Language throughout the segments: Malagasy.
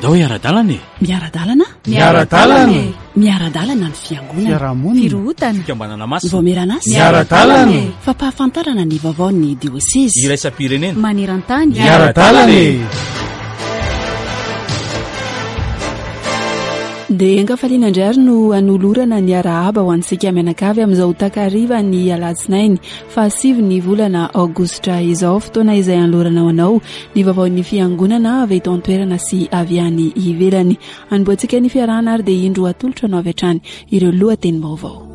Andao hiara-dalana e! Miara-dalana? Miara-dalana e! Miara-dalana ny fiangonana. Fiarahamonina. Firohotana. Fikambanana masina. Ny vaomieran'asa. Miara-dalana e! Fampahafantarana ny vaovaon'ny diosezy. Iraisam-pirenena. Maneran-tany. Miara-dalana e! Dia ankafaliana indray ary no hanolorana ny arahaba ho antsika mianakavy amin'izao takariva ny alatsinainy fahasivy ny volana aogositra izao, fotoana izay hanolorana ho anao ny vaovaon'ny fiangonana avy eto an-toerana sy avy any ivelany. Hanombohantsika ny fiarahana ary dia indro atolotra anao avy hatrany ireo lohatenim-baovao.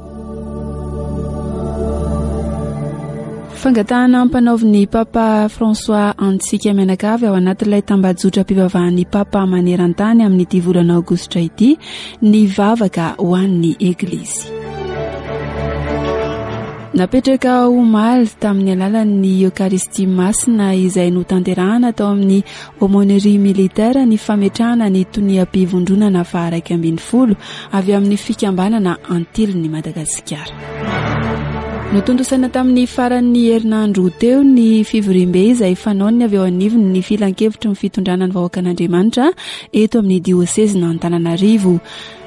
Fangatahana ampanaovin'ny Papa François antsika mianakavy ao anatin'ilay tambajotram-pivavahan'ny Papa maneran-tany amin'ity volana aogositra ity ny vavaka ho an'ny Eglizy. Napetraka omaly tamin'ny alalan'ny Eokaristia Masina izay notanterahana tao amin'ny Aumônerie Militaire ny fametrahana ny toniam-pivondronana faha-11 avy amin'ny fikambanana Antilin'i Madagasikara. Notontosaina tamin'ny faran'ny herinandro teo ny fivoriambe izay fanaon'ny avy eo anivon'ny filankevitry ny fitondrana ny vahoakan'Andriamanitra eto amin'ny diosezin'Antananarivo.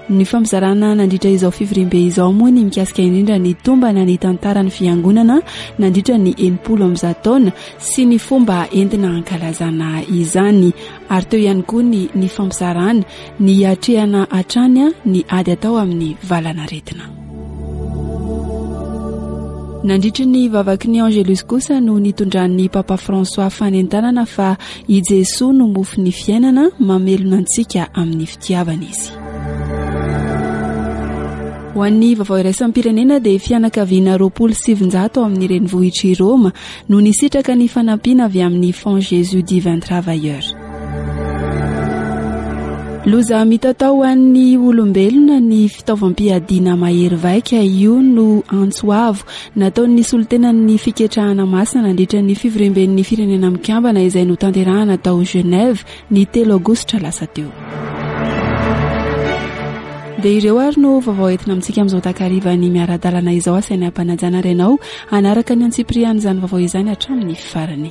Ny fampizarana nandritra izao fivoriambe izao moa ny mikasika indrindra ny tombana ny tantaran'ny fiangonana nandritra ny 160 taona sy ny fomba entina hankalazana izany ary teo ihany koa ny ny fampizarana ny hiatrehana hatrany ny ady atao amin'ny valanaretina. Nandritry ny vavaky ny Angelus kosa no nitondran'ny Papa François fanentanana fa i Jesoa no mofon'ny fiainana, mamelona antsika amin'ny fitiavana izy. Ho an'ny vaovao iraisam-pirenena dia fianakaviana 920 ao amin'ny renivohitr'i Roma no nisitraka ny fanampiana avy amin'ny Fonds Jésus Divin Travailleur. Loza mitatao ho an'ny olombelona ny fitaovam-piadiana mahery vaika, io no antso avo nataon'ny solontenan'ny Fiketrahana Masina nandritra ny fivoriamben'ny Firenena Mikambana izay notanterahana tao Genève ny telo aogositra lasa teo. Dia ireo ary no vaovao entina amintsika amin'izao takarivan'ny miara-dalana izao. Asaina am-panajana ary ianao hanaraka ny antsipirian'izany vaovao izany hatramin'ny farany.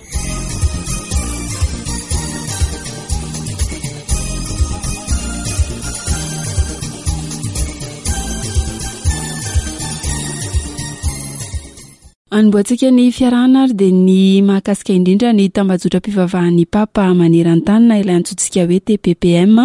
Anombohantsika ny fiarahana ary dia ny mahakasika indrindra ny tambajotram-pivavahan'ny Papa maneran-tany na ilay antsointsika hoe TPPM.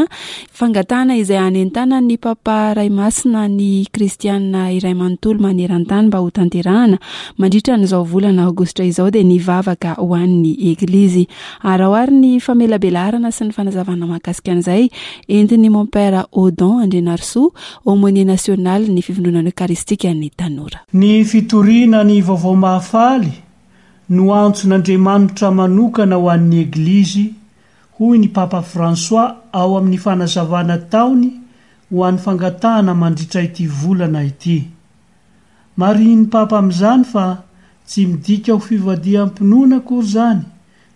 Fangatahana izay hanentanan'ny Papa Ray Masina ny kristianina iray manontolo maneran-tany mba hotanterahana mandritra an'izao volana aogositra izao dia ny vavaka ho an'ny Eglizy. Araho ary ny famelabelarana sy ny fanazavana mahakasika an'izay entin'ny Mompera Odon Andrianarisoa, Aumônier National ny Fivondronana Eokaristikan'ny Tanora. Ny fitoriana ny Vaovao Mahafaly no antson'Andriamanitra manokana ho an'ny Eglizy, hoy ny Papa François ao amin'ny fanazavana ataony ho an'ny fangatahana mandritra ity volana ity. Marihin'ny Papa amin'izany fa tsy midika ho fivadiham-pinoana akory izany,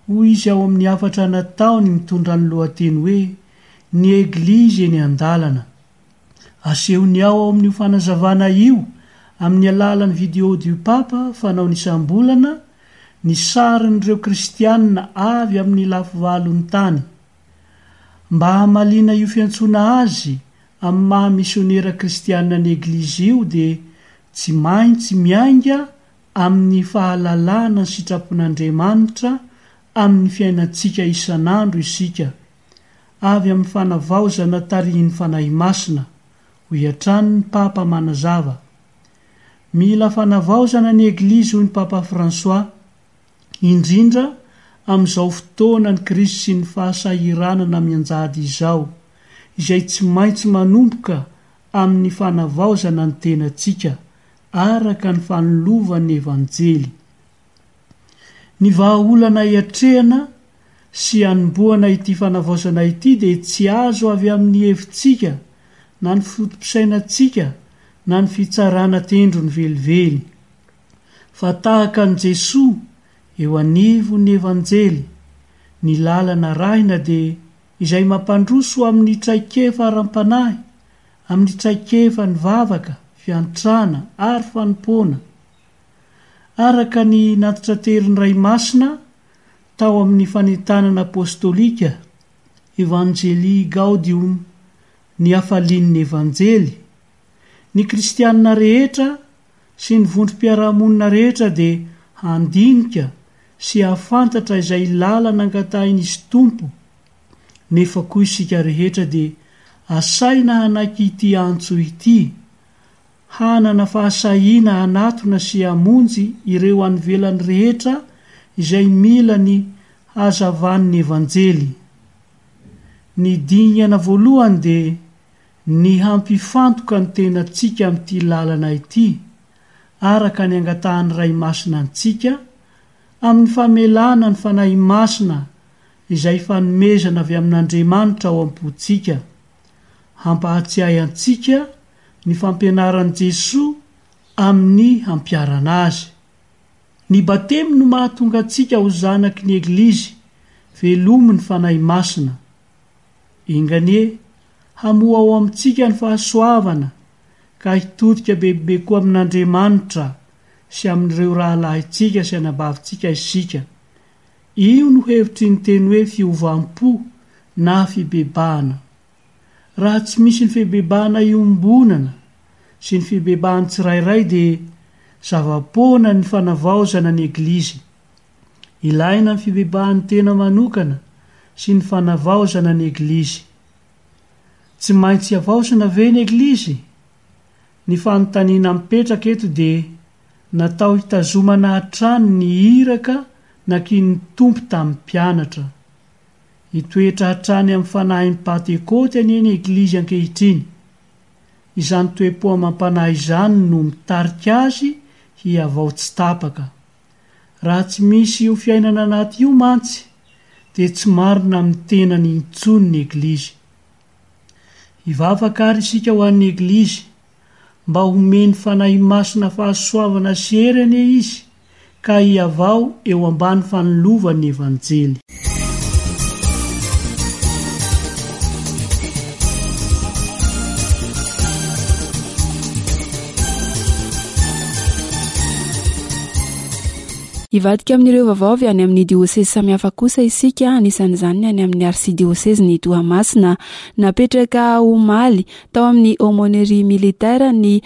hoy izy ao amin'ny hafatra nataony mitondra ny lohateny hoe Ny Eglizy eny an-dalana. Asehony ao amin'io fanazavana io, amin'ny alalan'ny Vidéo du Pape fanaony isam-bolana, ny sarin'ireo kristianina avy amin'ny lafivalon'ny tany. Mba hamaliana io fiantsoana azy amin'ny maha misionera kristianina ny Eglizy io dia tsy maintsy miainga amin'ny fahalalana ny sitrapon'Andriamanitra amin'ny fiainantsika isan'andro isika, avy amin'ny fanavaozana tarihin'ny Fanahy Masina, hoy hatrany ny Papa manazava. Mila fanavaozana ny Eglizy hoy ny Papa François, indrindra amin'izao fotoanan'ny krizy sy ny fahasahiranana mianjady izao, izay tsy maintsy manomboka amin'ny fanavaozana ny tenantsika, araka ny fanilovan'ny Evanjely. Ny vahaolana hiatrehana sy hanombohana ity fanavaozana ity dia tsy azo avy amin'ny hevitsika na ny foto-pisainantsika na ny fitsarana tendrony velively. Fa tahaka an'i Jesoa eo anivon'ny Evanjely, ny lalana arahina dia izay mampandroso amin'ny traikefa ara-panahy, amin'ny traikefa ny vavaka, fiantrana ary fanompoana. Araka ny nantitranterin'ny Ray Masina tao amin'ny fanentanana apostolika. Evangelii Gaudium, Ny Hafalian'ny Evanjely. Ny kristianina rehetra sy ny vondrom-piarahamonina rehetra dia handinika sy hahafantatra izay lalana angatahin'izy Tompo, nefa koa isika rehetra dia asaina hanaiky ity antso ity, hanana fahasahiana hanatona sy hamonjy ireo any ivelany rehetra izay mila ny hazavan'ny Evanjely. Ny dingana voalohany dia ny hampifantoka ny tenantsika amin'ity lalana ity, araka ny angatahan'ny Ray Masina antsika, amin'ny famelana ny Fanahy Masina izay fanomezana avy amin'Andriamanitra ao am-pontsika, hampahatsiahy antsika ny fampianaran'i Jesoa amin'ny hampiharana azy. Ny Batemy no mahatonga antsika ho zanaky ny Eglizy velomin'ny Fanahy Masina. Enga anie hamoha ao amintsika ny fahasoavana ka hitodika bebe koa amin'Andriamanitra sy amin'ireo rahalahintsika sy anabavintsika isika. Io no hevitry ny teny hoe fiovam-po na fibebahana. Raha tsy misy ny fibebahana iombonana sy ny fibebahan'ny tsirairay dia zava-poana ny fanavaozana ny Eglizy. Ilaina ny fibebahan'ny tena manokana sy ny fanavaozana ny Eglizy. Tsy maintsy havaozina ve ny Eglizy? Ny fanontaniana mipetraka eto dia natao hitazomana hatrany ny iraka nakinin'ny Tompo tamin'ny mpianatra. Hitoetra hatrany amin'ny fanahin'ny Pantekôty anie ny Eglizy ankehitriny. Izany toe-po amam-panahy izany no mitarika azy hihavao tsy tapaka. Raha tsy misy io fiainana anaty io mantsy dia tsy marina amin'ny tenany intsony ny Eglizy. Hivavaka ary isika ho an'ny Eglizy mba homen'ny Fanahy Masina fahasoavana sy hery anie izy ka hihavao eo ambany fanilovan'ny Evanjely. Hivadika amin'ireo vaovao avy any amin'ny diosezy samihafa kosa isika, anisan'izany ny any amin'ny arsidiosezin'i Toamasina. Napetraka omaly tao amin'ny Aumônerie Militaire ny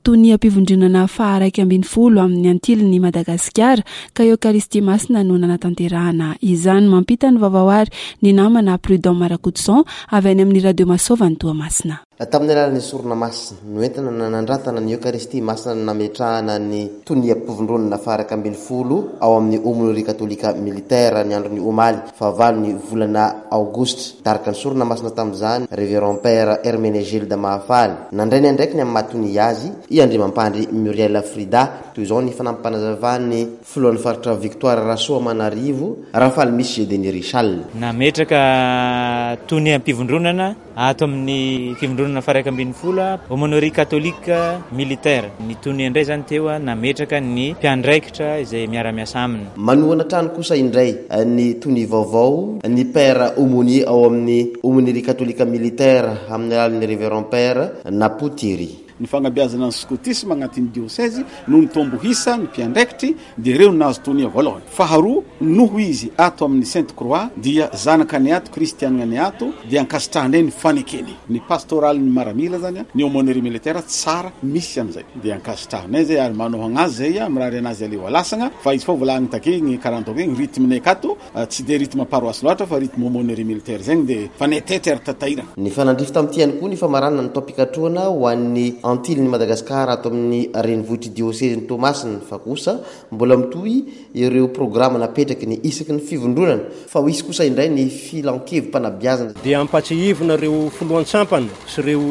toniam-pivondronana faha-11 amin'ny Antilin'i Madagasikara, ka Eokaristia Masina no nanatanterahana izany. Mampita ny vaovao àry ny namana Prudent Marakotoson avy any amin'ny Radio Masova any Toamasina. Tamin'ny alalan'ny sorona masina noentina nanandratana ny Eokaristia Masina no nametrahana ny toniam-pivondronana faha-11 ao amin'ny Aumônerie Katolika Militaire ny andron'ny omaly fahavalon'ny volana Aogositra. Nitarika ny sorona masina tamin'izany Révérend Père Herménégilde Mahafaly. Nandray ny andraikiny amin'ny maha tonia azy i Andriamampandry Muriel Frida. Toy izao ny fanampim-panazavan'ny filohan'ny faritra Victoire Rasoamanarivo, Rafalimisy Gédénie Richal. Nametraka toniam-pivondronana Ato amin'ny fivondronana faha-11, Aumônerie Catholique Militaire, ny tonia indray izany teo nametraka ny mpiandraikitra izay miara-miasa aminy. Manohana hatrany kosa indray ny tonia vaovao ny Père Aumônier ao amin'ny Aumônerie Catholique Militaire amin'ny alalan'ny Révérend Père Napo Thierry. Ny fagnabeazana ny skotisma agnatin'ny diosezy no nitombo isa ny mpiandraikitry dia ireo no nahazo tonia voalohany. Faharoa, noho izy ato amin'ny Sainte Croix dia zanaka ny ato, kristianina ny ato dia ankasitrahanay ny fanekeny. Ny pastoralin'ny maramila zany, ny aumônerie militaire tsara misy an'izay dia ankasitrahanay zay ary manohagna azy zay, mirary anazy aleo alasagna fa izy fô volagniny take igny karaha ataoko igny rythme-nay akato Tsy dia rythme paroisse loatra fa rythme aumônerie militaire zegny dia fa netety ary tatairana. Nifanandrify tamin'ity ihany koa ny famaranana ny taom-pikatrohana ho an'ny Antilin'i Madagasikara ato amin'ny renivohitr'i diosezin'i Toamasina fa kosa mbola mitohy ireo programa napetraky ny isaky ny fivondronana fa ho hisy kosa indray ny filankevi-panabeazana. Dia ampatsiahivina ireo filohan-tsampana sy ireo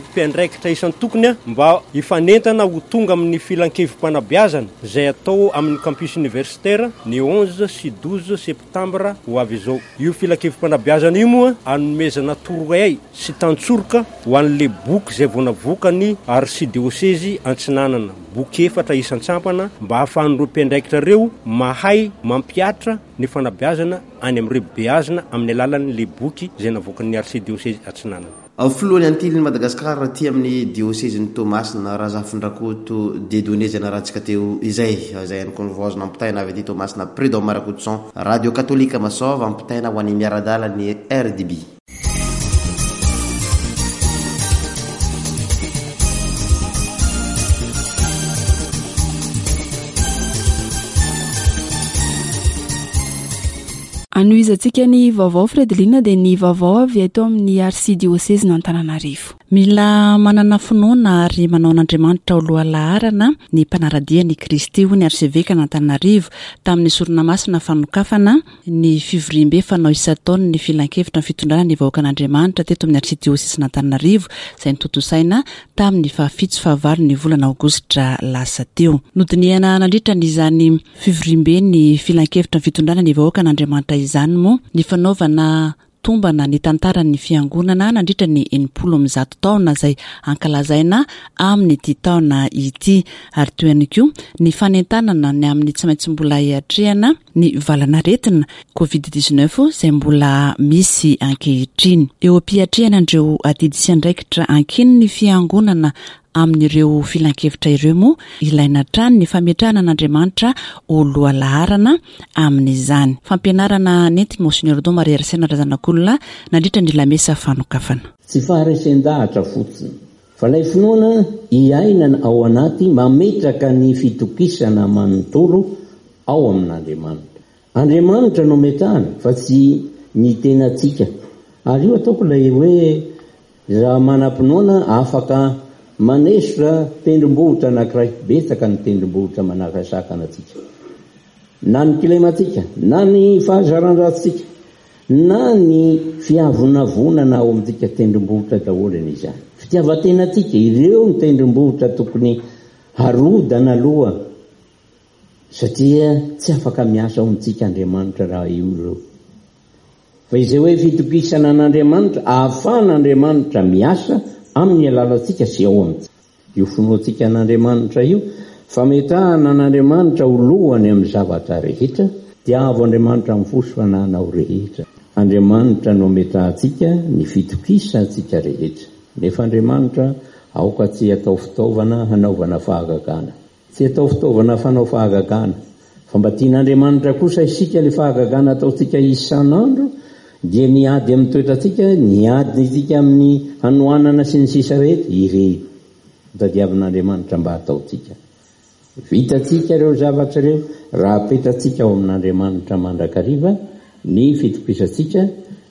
mpiandraikitra isan-tokony mba hifanentana ho tonga amin'ny filankevi-panabeazana izay atao amin'ny campus universitaire ny 11 sy 12 septambra ho avy izao. Io filankevi-panabeazana io moa hanomezana torohay sy tantsoroka ho an'ilay boky izay vao navoakan'ny Arsidiosezy Antsinanana, boky efatra isan-tsampana mba hahafahan'ireo mpiandraikitra ireo mahay mampihatra ny fanabeazana any amin'ireo beazina amin'ny alalan'ilay boky izay navoakan'ny Arsidiosezy Atsinanana. Filohan'ny Antilin'i Madagasikara aty amin'ny diosezin'i Toamasina, Razafindrakoto Dieudonné izay narahantsika teo izay. Izay ihany koa no vaovao azo nampitaina avy aty Toamasina, Prud'homme Rakotoson, Radio Katolika Masova, ampitaina ho an'ny miara-dalana ny RDB. Anohizantsika ny vaovao Fredeline dia ny vaovao avy eto amin'ny Arsidiosezin'Antananarivo. Mila manana finoana ary manao an'Andriamanitra ho lohalaharana ny mpanara-dia an' i Kristy, hoy ny Arsevekan'Antananarivo tamin'ny sorona masina fanokafana ny fivoriambe fanao isan-taon'ny ny Filankevitra ny Fitondrana ny Vahoakan'Andriamanitra teto amin'ny Arsidiosezin'Antananarivo izay notontosaina tamin'ny fahafito sy fahavalo ny volana aogositra lasa teo. Nodinihana nandritra ny izany Fivoriambe ny Filankevitra ny Fitondrana ny Vahoakan'Andriamanitra izany moa ny fanaovana tombana ny tantaran'ny Fiangonana nandritra ny 160 taona izay ankalazaina amin'ity taona ity ary toy ihany koa ny fanentanana ny amin'ny tsy maintsy mbola hiatrehana ny valan'aretina Covid 19 izay mbola misy ankehitriny. Eo am-piatrehana an'ireo adidy sy andraikitra ankinin'ny Fiangonana Amin'ireo filankevitra ireo moa, ilaina hatrany ny fametrahana an'Andriamanitra ho lohalaharana amin'izany. Fampianarana nentin'i Monsignor Don Marie Arsène Razanakolona nandritra ny lamesa fanokafana. Tsy faharesen-dahatra fotsiny, fa ilay finoana iainana ao anaty mametraka ny fitokisana manontolo ao amin'Andriamanitra. Andriamanitra no ametrahana fa tsy ny tenantsika. Ary io ataoko ilay hoe Raha manam-pinoana afaka manesotra tendrombohitra anankiray, betsaka ny tendrombohitra manakasakana antsika. Na ny kilemantsika, na ny fahazaran-dratsintsika, na ny fiavonavonana ao amintsika, tendrombohitra daholo anie izany. Fitiavan-tenantsika, ireo ny tendrombohitra tokony harodana aloha satria tsy afaka miasa ao amintsika Andriamanitra raha io ireo. Fa izay hoe fitokisana an'Andriamanitra, ahafahan'Andriamanitra miasa amin'ny alalantsika sy ao amintsika. Io finoantsika an'Andriamanitra io, fametrahana an'Andriamanitra ho lohany amin'ny zavatra rehetra, tiavo Andriamanitra amin'ny fo sy fanahinao rehetra. Andriamanitra no ametrahantsika ny fitokisantsika rehetra. Nefa Andriamanitra aoka tsy hatao fitaovana hanaovana fahagagana. Tsy atao fitaovana fanao fahagagana, fa mba tian'Andriamanitra kosa isika ilay fahagagana ataontsika isan'andro dia ny ady amin'ny toetrantsika, ny adintsika amin'ny hanoanana sy ny sisa rehetra, ireny no tadiavin'Andriamanitra mba hataontsika. Vitantsika ireo zavatra ireo raha apetratsika ao amin'Andriamanitra mandrakariva ny fitokisantsika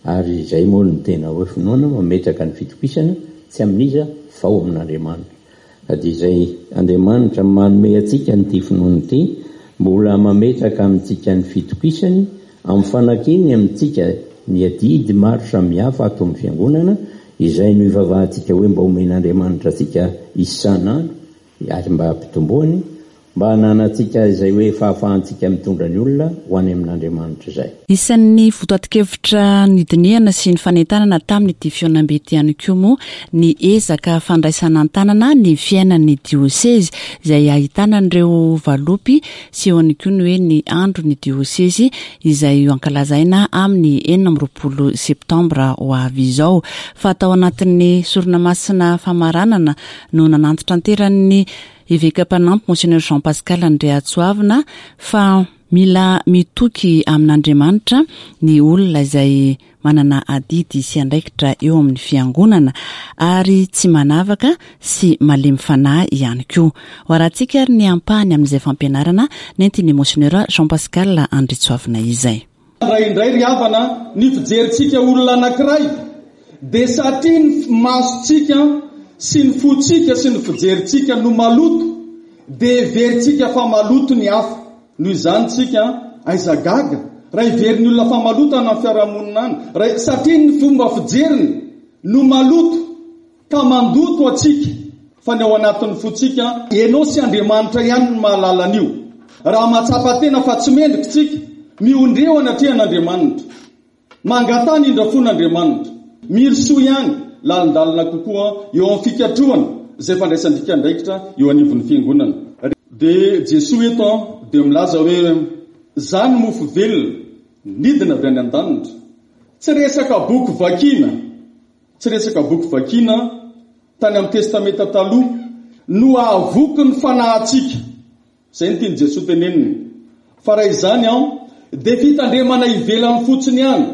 ary izay moa no tena hoe finoana, mametraka ny fitokisana tsy amin'iza fa ao amin'Andriamanitra. Na dia izay Andriamanitra manome antsika an'ity finoana ity, mbola mametraka amintsika ny fitokisany, amin'ny fanakiny amintsika ny adidy maro samihafa ato amin'ny Fiangonana, izay no ivavahantsika hoe mba omen'Andriamanitra antsika isan'andro, ary mba hampitomboany, Mba hananantsika izay hoe fahafahantsika mitondra ny olona ho any amin'Andriamanitra izay. Isan'ny votoatin-kevitra nidinihana sy nifanentanana tamin'ity fihaonambe ity ihany koa moa ny ezaka fandraisana an-tanana ny fiainan'ny diosezy izay ahitana an'ireo valopy sy eo ihany koa ny hoe ny andron'ny diosezy izay ho ankalazaina amin'ny 26 septambra ho avy izao. Fa tao anatin'ny sorona masina famaranana no nanantitranteran'ny Eveka mpanampy Monseigneur Jean Pascal Andriatsoavina fa mila mitoky amin'Andriamanitra ny olona izay manana adidy sy andraikitra eo amin'ny fiangonana ary tsy manavaka sy malemy fanahy ihany koa. Ho arahantsika ary ny ampahany amin'izay fampianarana nentin'i Monseigneur Jean Pascal Andriatsoavina izay. Indraindray ry havana ny fijerintsika olona anankiray dia satria ny masontsika sy ny fontsika sy ny fijerintsika no maloto dia heverintsika fa maloto ny hafa. Noho izany tsika aiza gaga raha heverin'ny olona fa maloto any amin'ny fiarahamonina any raha satria ny fomba fijeriny no maloto. Ka mandoto antsika, fa ny ao anatin'ny fontsika, ianao sy Andriamanitra ihany no mahalala an'io. Raha mahatsapa tena fa tsy mendrika isika, miondreho anatrehan'Andriamanitra. Mangataha ny indrafon'Andriamanitra. Mirosoa ihany lalindalina kokoa eo amin'ny fikatrohana izay fandraisan-dika andraikitra eo anivon'ny Fiangonana. Dia Jesoa eto dia milaza hoe, Izaho no mofo velona, nidina avy any an-danitra. Tsy resaka boky vakiana. Tsy resaka boky vakiana tany amin'ny Testamenta Taloha no hahavoky ny fanahintsika. Izay no tian'i Jesoa tenenina. Fa raha izany an, dia fitandremana ivelany fotsiny ihany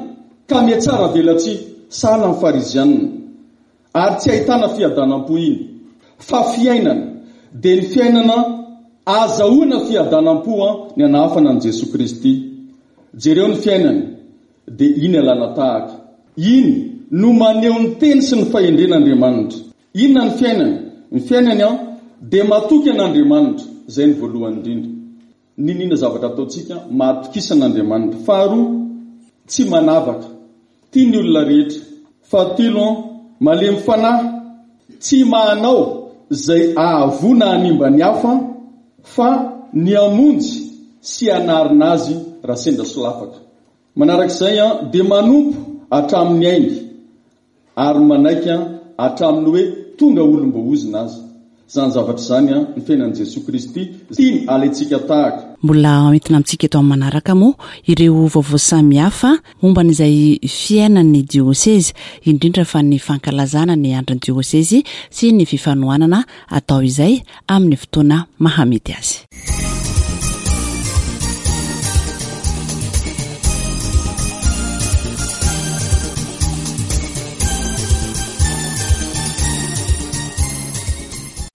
ka mihatsara velatsihy sahala amin'ny Farizianina. Ary tsy ahitana fiadanam-po iny. Fa fiainana, dia ny fiainana ahazahoana fiadanam-po an, ny anahafana an'i Jesoa Kristy. Jereo ny fiainany. Dia iny alana tahaka. Iny no maneho ny teny sy ny fahendren'Andriamanitra. Inona ny fiainany? Ny fiainany an, dia matoky an'Andriamanitra. Izay no voalohany indrindra. N'inon'inona zavatra ataontsika, matokisa an'Andriamanitra. Faharoa, tsy manavaka. Tia ny olona rehetra. Fahatelo an, malemy fanahy. Tsy manao izay ahavoa na hanimba ny hafa fa ny hamonjy sy hanarina azy raha sendra solafaka. Manarak'izay an, dia manompo hatramin'ny ainy ary manaiky an, hatramin'ny hoe tonga olom-boaozona aza. Izany zavatra izany an, ny fiainan'i Jesoa Kristy, tiany alaintsika tahaka. Mbola hoentina amintsika eto amin'ny manaraka moa ireo vaovao samihafa momba an'izay fiainan'ny diosezy, indrindra fa ny fankalazana ny andron'ny diosezy sy ny fifanohanana atao izay amin'ny fotoana mahamety azy.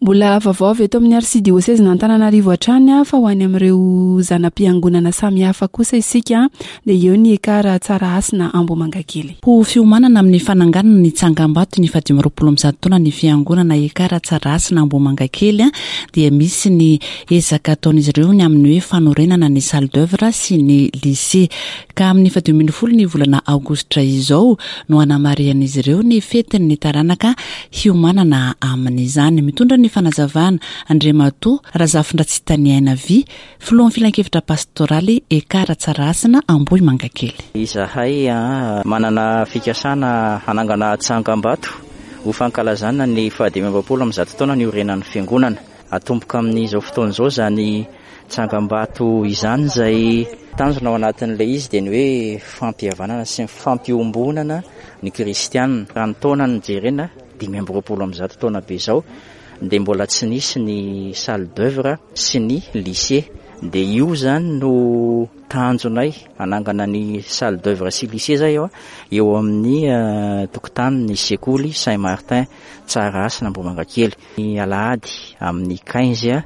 Mbola vaovao avy eto amin'ny Arsidiosezin'Antananarivo hatrany fa ho any amin'ireo zana-piangonana samihafa kosa isika dia eo ny Ekar Tsarahasina Ambohimangakely. Ho fiomanana amin'ny fananganana ny tsangambato ny faha 125 taona ny fiangonana Ekar Tsarahasina Ambohimangakely dia misy ny ezaka ataon'izy ireo ny amin'ny hoe fanorenana ny salle d'oeuvre sy ny lycée. Ka amin'ny faha 15 ny volana aogositra izao no hanamarihan'izy ireo ny fetin'ny taranaka hiomanana amin'izany. Mitondra ny fanazavana Andriamatoa Razafindratsitaniaina Vy, Filohan'ny Filankevitra Pastoraly Ekar Tsarahasina Ambohimangakely. Izahay manana fikasana hanangana tsangambato ho fankalazana ny faha-125 taona niorenan'ny Fiangonana. Atomboka amin'izao fotoana izao izany tsangambato izany izay tanjona ao anatin'ilay izy dia ny hoe fampihavanana sy ny fampiombonana ny kristiana. Raha ny taona no jerena, 125 taona be izao dia mbola tsy nisy ny salle d'oeuvre sy ny lycée. Dia io izany no tanjonay, hanangana ny salle d'oeuvre sy lycée izay eo amin'ny tokotanin'ny sekoly Saint Martin Tsarahasina Ambohimangakely. Ny alahady amin'ny quinze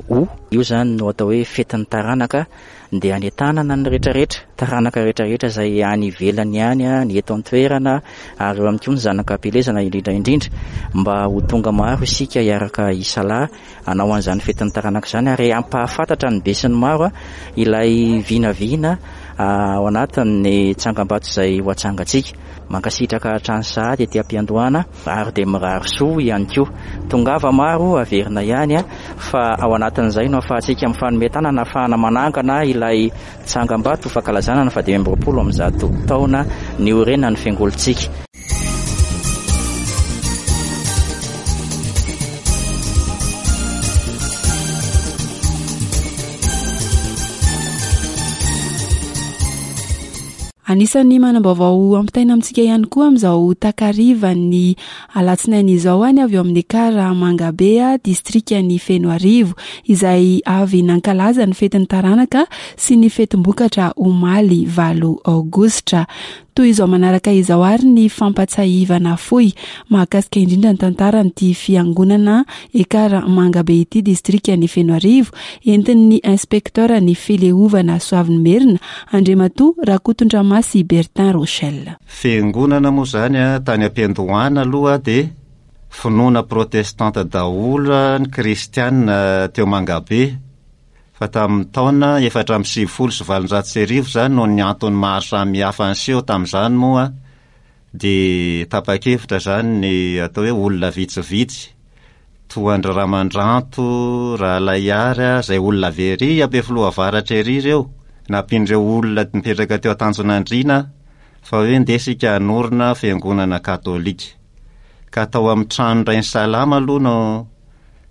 août, io izany no atao hoe fetin'ny taranaka, dia anentanana ny rehetrarehetra, taranaka rehetrarehetra izay any ivelany any, ny eto an-toerana ary eo ihany koa ny zanaka am-pielezana indrindra indrindra mba ho tonga maro isika hiaraka hisalahy hanao an'izany fetin'ny taranaka izany ary hampahafantatra ny besinimaro ilay vinavina ao anatin'ny tsangambato izay ho atsangantsika. Mankasitraka hatrany sahady ety am-piandohana ary dia mirary soa ihany koa. Tongava maro, averina ihany fa ao anatin'izay no ahafahantsika mifanome tanana ahafahana manangana ilay tsangambato ho fankalazana ny faha-125 taona niorenan'ny fiangolintsika. Anisan'ny manam-baovao ampitaina amintsika ihany koa amin'izao takarivan'ny alatsinainy izao any avy eo amin'ny Ekar Mangabe, distrikan'i Fenoarivo, izay avy nankalaza ny fetin'ny taranaka sy ny fetim-bokatra omaly valo aogositra. Toy izao manaraka izao ary ny fampatsahivana fohy mahakasika indrindra ny tantaran'ity fiangonana Ekar Mangabe ity distrikan'i Fenoarivo, entin'ny inspecteur ny fileovana Soavinimerina, Andriamatoa Rakotondramasy Bertin Rochel. Fiangonana moa izany tany am-piandohana aloha dia finoana protestanta daholo ny kristiana teo Mangabe. Fa tamin'ny taona 1894 izany noho ny antony maro samihafa niseho tamin'izany moa dia tapa-kevitra izany ny atao hoe olona vitsivitsy toa an-dry Ramandranto, Ralaiary, izay olona avy ery Ampefiloha Avaratra ery ireo, nampian'ireo olona nipetraka teo Antanjonandriana fa hoe ndeha isika hanorina fiangonana katolika. Ka tao amin'ny tranon-dRainisalama aloha no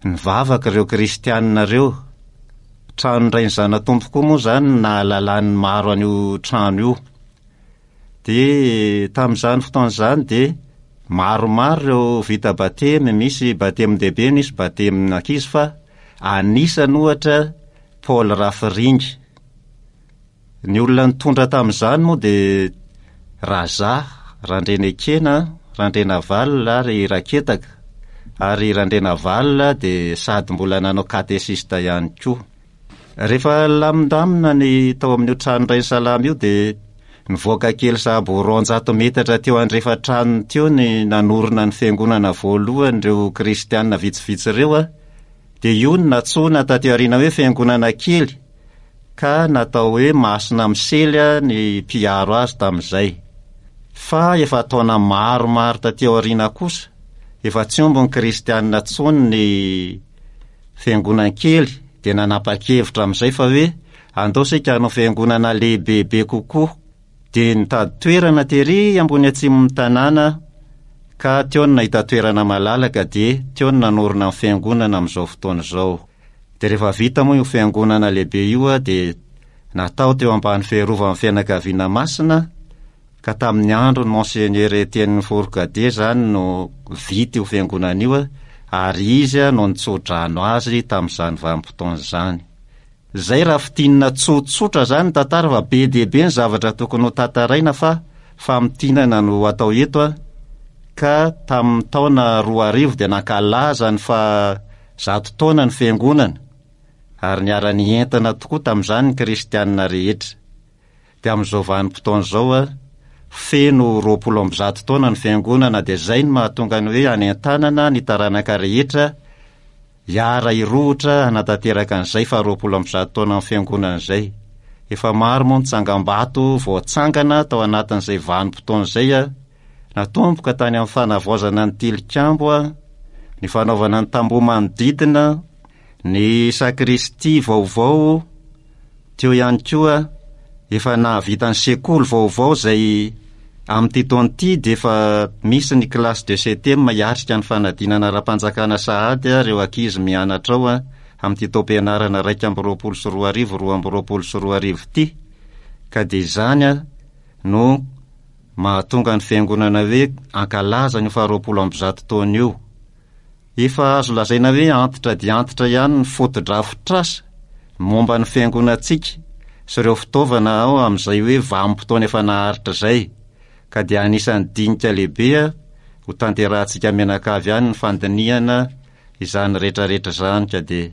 Nivavaka ireo kristianina ireo. Tranon-dRainizanatompo koa moa izany no nahalalan'ny maro an'io trano io. Dia tamin'izany fotoana izany dia maromaro ireo vita batemy, misy batemin-dehibe, misy batemin'ankizy fa anisany ohatra Paul Rafiringa. Ny olona nitondra tamin'izany moa dia Raza, Randrenekena, Randrenavalona ary Raketaka, ary Randrenavalona dia sady mbola nanao katesista ihany koa. Rehefa nilamindamina ny tao amin'io trano Rainisalama io dia. Nivoaka kely sahabo ho 200 metatra teo andrefan-tranony teo ny nanorina ny fiangonana voalohany ireo kristiana vitsivitsy ireo, dia io no nantsoina taty aoriana hoe fiangonana kely, ka natao hoe Masina Misely ny mpiaro azy tamin'izay. Fa efa taona maromaro taty aoriana kosa, efa tsy omby ny kristiana intsony ny fiangonan-kely dia nanapa-kevitra amin'izay fa hoe andao isika hanao fiangonana lehibebe kokoa. Dia nitady toerana tery ambony atsimon'ny tanàna ka teo no nahita toerana malalaka dia teo no nanorina ny fiangonana amin'izao fotoana izao. Dia rehefa vita moa io fiangonana lehibe io dia natao teo ambany fiarovan'ny fianakaviana masina ka tamin'ny andron'i Monseigneur Etienne Fourcadet izany no vita io fiangonana io ary izy no nitsodrano azy tamin'izany vanim-potoana izany. Izay raha fintinina tsotsotra izany ny tantara fa be dia be ny zavatra tokony ho tantaraina fa famintinana no atao eto ka tamin'ny taona 2000 dia nankalaza ny faha 100 taona ny fiangonana ary niara-nientana tokoa tamin'izany ny kristianina rehetra. Dia amin'izao vanim-potoana izao, feno 120 taona ny fiangonana dia izay no mahatonga ny hoe hanentanana ny taranaka rehetra hiara-hirohotra hanatanteraka an'izay faha 120 taonan'ny fiangonana izay. Efa maro moa ny tsangambato voatsangana tao anatin'izay vanim-potoana izay, natomboka tany amin'ny fanavaozana ny tilikambo, ny fanaovana ny tamboho manodidina, ny sakristia vaovao, teo ihany koa efa nahavita ny sekoly vaovao izay amin'ity taona ity dia efa misy ny classe de septième hiatrika ny fanadinana ara-panjakana sahady ireo ankizy mianatra ao amin'ity taom-pianarana 2021 2022 ity ka dia izany no mahatonga ny fiangonana hoe ankalaza an'io faha 120 taona io. Efa azo lazaina hoe antitra dia antitra ihany ny fotodrafitrasa momba ny fiangonantsika sy ireo fitaovana ao amin'izay hoe vanim-potoana efa naharitra izay, ka dia anisan'ny dinika lehibe ho tanterahantsika mianakavy ihany ny fandinihana izany rehetrarehetra izany ka dia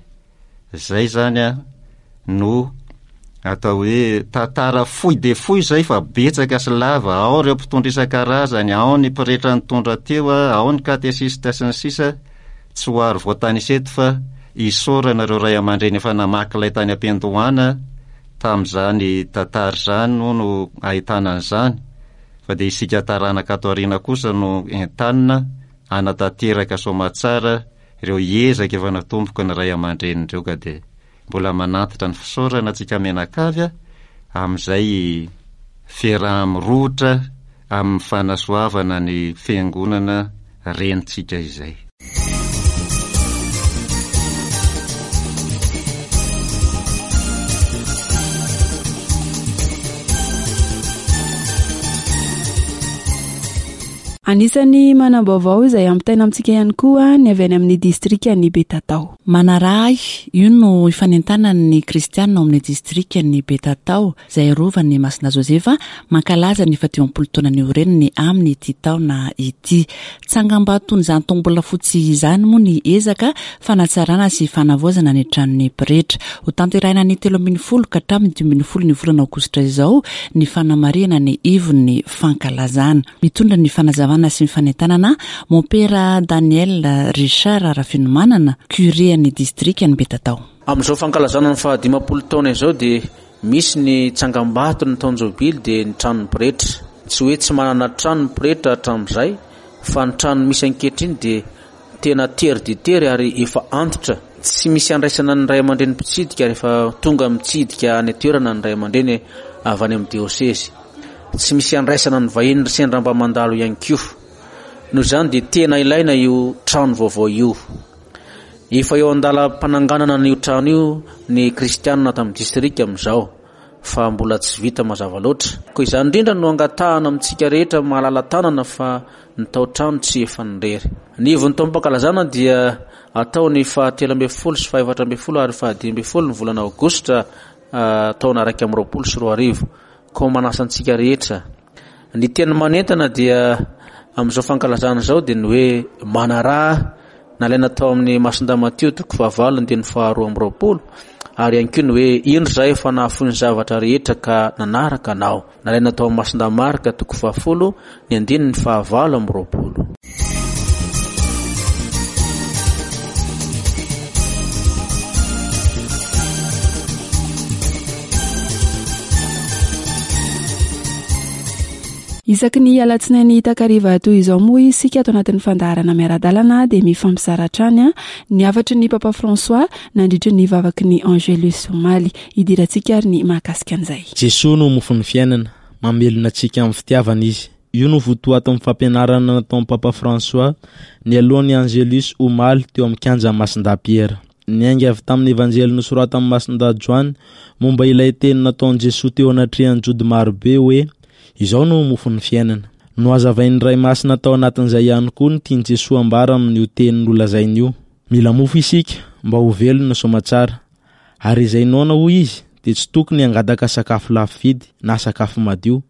Zay zany a no atao hoe tantara fohy dia fohy zay fa betsaka sy lava, ao ireo mpitondra isan-karazany, ao ny mpiretra nitondra teo a, ao ny katesista sy ny sisa, tsy ho ary voatanisa eto fa isaorana ireo ray aman-dreny efa namaky ilay tany am-piandohana tamin'izany tantara izany moa no ahitana an'izany fa dia isika taranaka ato aoriana kosa no entanina hanatanteraka soamatsara ireo ezaka efa natomboka ny ray aman-dreny ireo ka dia mbola manantitra ny fisaorana antsika mianakavy amin'izay fiaraha-mirohotra amin'ny fanasoavana ny fiangonana renintsika izay. Anisan'ny manam-baovao izay ampitaina amintsika ihany koa ny avy any amin'ny distrikan'i Betatao. Manaraha ahy, io no ifanentanan'ny kristiana ao amin'ny distrikan'i Betatao, izay arovan'i Masina Josefa, mankalaza ny fahadimampolo taona niorenany amin'ity taona ity. Tsangambaton'izany tombolafotsy izany moa ny ezaka fanatsarana sy fanavaozana ny tranon'ny pretra. Hotanterahina ny 13 ka hatramin'ny 15 ny volana aogositra izao ny fanamarihana ny ivon'ny fankalazana. Mitondra ny fanazavana sy ny fanentanana Mompera Daniel Richard Rafenomanana, Curé an'ny distrikan'i Betatao. Amin'izao fankalazana ny faha-50 taona izao dia misy ny tsangambato ny taon-jobily dia ny tranon'ny pretra. Tsy hoe tsy manana trano ny pretra hatramin'izay fa ny trano misy ankehitriny dia Tena tery dia tery ary efa antitra. Tsy misy andraisana ny ray aman-dreny mpitsidika rehefa tonga mitsidika any an-toerana ny ray aman-dreny avy any amin'ny diosezy. Tsy misy andraisana ny vahiny sendra mba mandalo ihany koa. Noho izany dia tena ilaina io trano vaovao io. Efa eo an-dalam-pananganana an'io trano io ny kristianina ato amin'ny distrika amin'izao. fa mbola tsy vita mazava loatra. Koa izany indrindra no angatahana amintsika rehetra malala-tanana fa ny tao-trano tsy efan'ny irery. Ny ivon'ny taom-pankalazana dia atao ny faha 13 sy faha 14 ary faha 15 ny volana aogositra taona 2021. Koa manasa antsika rehetra. Ny teny manentana dia amin'izao fankalazana izao dia ny hoe manaraha nalaina tao amin'ny Masindahy Matio toko fahavalo andininy faharoa amby roapolo. Ary ihany koa ny hoe, Indro izahay efa nahafoy ny zavatra rehetra ka nanaraka Anao. Nalaina tao amin'ny Masindahy Marka toko fahafolo, ny andininy fahavalo amby 20. Isaky ny alatsinainy takariva toy izao moa isika ato anatin'ny fandaharana miara-dalana dia mifampizara hatrany ny hafatry ny Papa François nandritry ny vavaky ny Angelus omaly. Hidirantsika ary ny mahakasika an'izay. Jesoa no mofon'ny fiainana, mamelona antsika amin'ny fitiavana Izy. Io no votoatin'ny fampianarana nataon'i Papa François nialoha ny Angelus omaly teo amin'ny kianjan'i Masindahy Piera. Niainga avy tamin'ny Evanjely nosoratan'i Masindahy Joany momba ilay teny nataon'i Jesoa teo anatrehan'ny Jody marobe hoe, Izao no mofon'ny fiainana. Nohazavain'ny Ray Masina tao anatin'izay ihany koa ny tian'i Jesoa ambara amin'io teny nolazainy io. Mila mofo isika mba ho velona soamatsara. Ary izay noana hoy izy dia tsy tokony hangataka sakafo lafo vidy na sakafo madio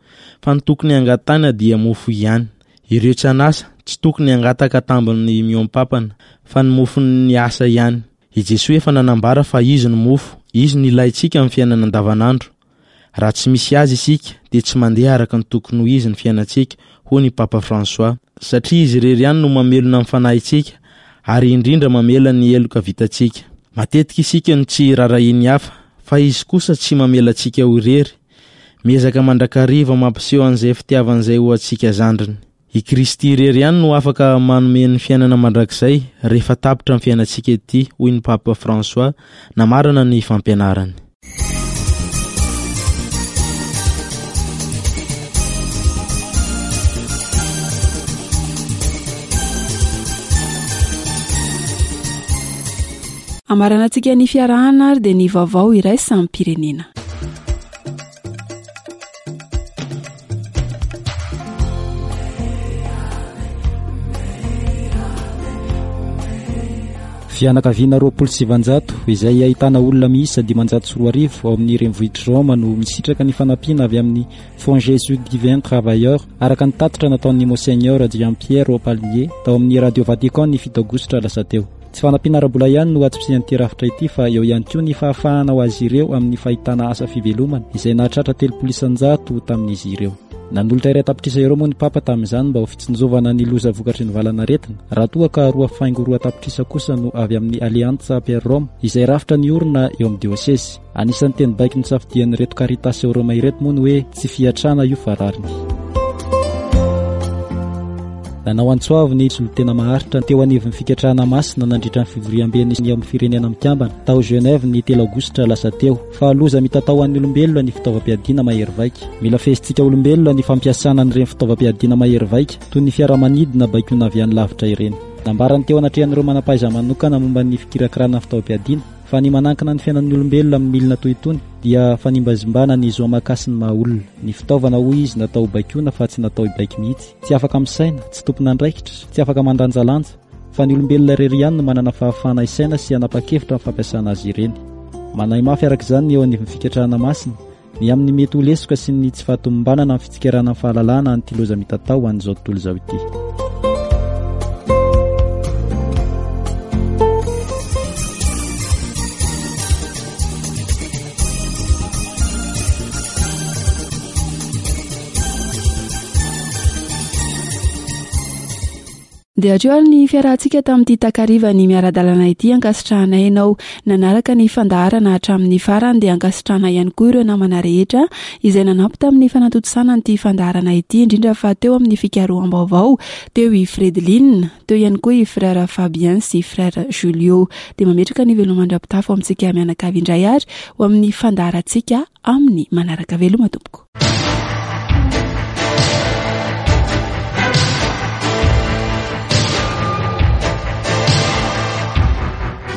fa ny tokony hangatahina dia mofo ihany. Ireo tsy an'asa tsy tokony hangataka tambiny mihoam-pampana fa ny mofon'ny asa ihany. I Jesoa efa nanambara fa Izy no mofo, Izy no ilaintsika amin'ny fiainana andavanandro. Raha tsy misy Azy isika dia tsy mandeha araka ny tokony ho izy ny fiainantsika, hoy ny Papa François. Satria Izy irery ihany no mamelona ny fanahintsika ary indrindra mamela ny heloka vitantsika. Matetika isika no tsy rarahian'ny hafa, fa Izy kosa tsy mamela antsika ho irery. Miezaka mandrakariva mampiseho an'izay fitiavany izay ho antsika zandriny. I Kristy irery ihany no afaka manome ny fiainana mandrakizay rehefa tapitra ny fiainantsika ety, hoy ny Papa François namarana ny fampianarany. Amaranantsika ny fiarahana ary dia ny vaovao iraisam-pirenena. Fianakaviana 920 izay ahitana olona miisa 2500 ao amin'ny renivohitr'i Roma no misitraka ny fanampiana avy amin'ny Fonds Jésus Divin Travailleur araka ny tatitra nataon'ny Monseigneur Giampiero Palmier tao amin'ny Radio Vatican ny 7 aogositra lasa teo. Tsy fanampiana ara-bola ihany no antsipirian'ity rafitra ity fa eo ihany koa ny fahafahana ho azy ireo amin'ny fahitana asa fivelomana izay nahatratra 30% tamin'izy ireo. Nanolotra 1 tapitrisa euro moa ny Papa tamin'izany mba ho fitsinjovana ny loza vokatry ny valanaretina, raha toa ka roa faingo roa tapitrisa kosa no avy amin'ny Alleanza per Roma izay rafitra niorina eo amin'ny diosezy. Anisan'ny teny baiko nosafidian'ireto Caritas ao Roma ireto moa ny hoe tsy fiatrana io fa rariny. Nanao antso avo ny solontena maharitra teo anivon'ny Fikatrahana Masina nandritra ny fivoriamben'ny eo amin'ny Firenena Mikambana tao Genève ny 3 aogositra lasa teo fa loza mitatao ho an'ny olombelona ny fitaovam-piadiana mahery vaika. Mila fehezintsika olombelona ny fampiasana an'ireny fitaovam-piadiana mahery vaika toy ny fiaramanidina baikoina avy any lavitra ireny. Nambarany teo anatrehan'ireo manam-pahaiza-manokana momba ny fikirakirana fitaovam-piadiana Fa ny manankina ny fiainan'ny olombelona amin'ny milina toy itony dia fanimbazimbana ny zo aman-kasin'ny maha olona. Ny fitaovana hoy izy natao hobaikoana fa tsy natao hibaiko mihitsy. Tsy afaka misaina, tsy tompon'andraikitra, tsy afaka mandanjalanja, fa ny olombelona irery ihany no manana fahafahana hisaina sy hanapa-kevitra amin'ny fampiasana azy ireny. Manahy mafy araka izany ny eo anivon'ny fikatrahana masina, ny amin'ny mety ho lesoka sy ny tsy fahatomombanana amin'ny fitsikerana ny fahalalahana an'ity loza mitatao ho an'izao tontolo izao ity. Dia hatreo ary ny fiarahantsika tamin'ity takarivan'ny miara-dalana ity ankasitrahanay ianao nanaraka ny fandaharana hatramin'ny farany dia ankasitrahana ihany koa ireo namana rehetra izay nanampy tamin'ny fanatontosana an'ity fandaharana ity indrindra fa teo amin'ny fikaroham-baovao teo i Fredeline teo ihany koa i Frère Fabien sy Frère Julio dia mametraka ny veloma mandra-pitafo amintsika mianakavy indray ary ho amin'ny fandaharantsika amin'ny manaraka veloma tompoko.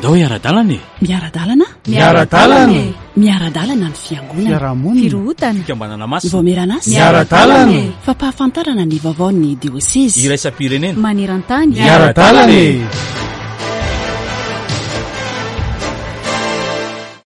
Ndao hiara-dalana e! Miara-dalana? Miara-dalana e! Miara-dalana ny fiangonana. Fiarahamonina. Firohotana. Fikambanana masina. Vaomieran'asa. Miara-dalana e! Fampahafantarana ny vaovaon'ny diosezy. Iraisam-pirenena. Maneran-tany. Miara-dalana e!